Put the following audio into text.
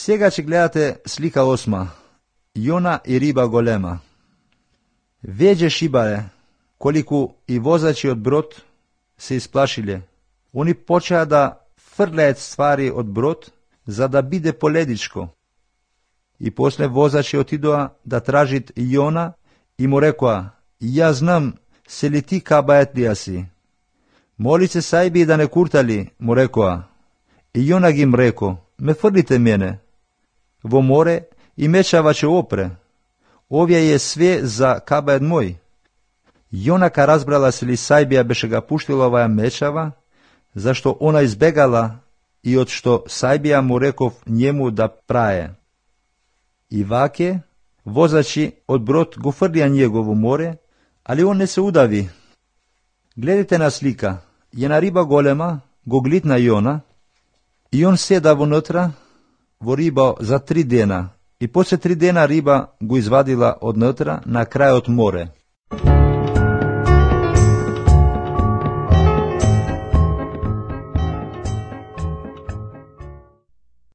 Сега ќе гледате слика 8. Јона и риба голема. Веќе шибаре, колику и возачи од брод се исплашиле. Они почеа да фрлаат ствари од брод, за да биде поледичко. И после возачи отидоа да тражит Јона и му рекоа: ја знам, се ли ти кабаетлија си? Моли се сајби да не куртали, му рекоа. И Јона ги им реко: ме фрлите мене во море и мечава ќе опре. Овие е све за кабает мој. Јона ка разбрала се ли сајбија беше га пуштила оваа мечава, зашто она избегала и од што сајбија му реков njemu да прае. И ваке, возачи од брод го фрлија него во море, али он не се удави. Гледате на слика, една риба голема го глитна Јона и он седа вонутра во риба за 3 дена и после 3 дена риба го извадила однутра на крајот море.